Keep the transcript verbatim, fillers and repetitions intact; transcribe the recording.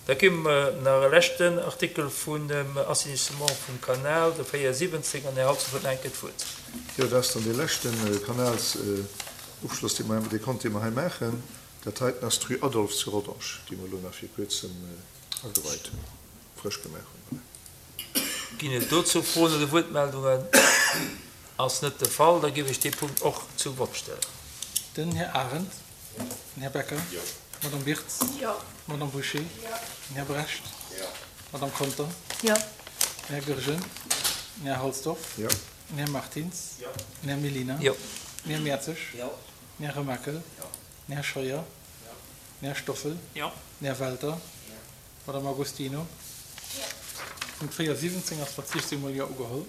Da gi mer nach e leschten Artikel vun dem Assainissement vum Kanal, de véierundsiwwenzeg, an Här Halsdorf huet nach eng Kéier d'Wuert. Jo, dat ass dann dee leschte Kanalsufschloss, dee mer, dee Compte, dee mer hei maachen. Dat heiten ass d'Rue Adolphe zu Rodange, déi mer elo nach vir kuerzem ageweit hunn, frësch gemaach hunn. Voilà. Ginn et dozou Froen oder Wuertmeldungen? Ass net de Fall. Da géif ech dee Punkt och zum Vott stellen. Den Här Arendt. Den Här Becker. D'Madame Wirtz. D'Madame Bouché. Den Här Brecht. D'Madame Conter. Den Här Goergen. Den Här Halsdorf. Den Här Martins. Den Här Mellina. Den Här Mertzig. Den Här Remakel. Den Här Scheuer. Den Här Stoffel. Den Här Welter. D'Madame Agostino. Punkt véierundsiwwenzéng ass mat siechzéng mol Jo ugeholl.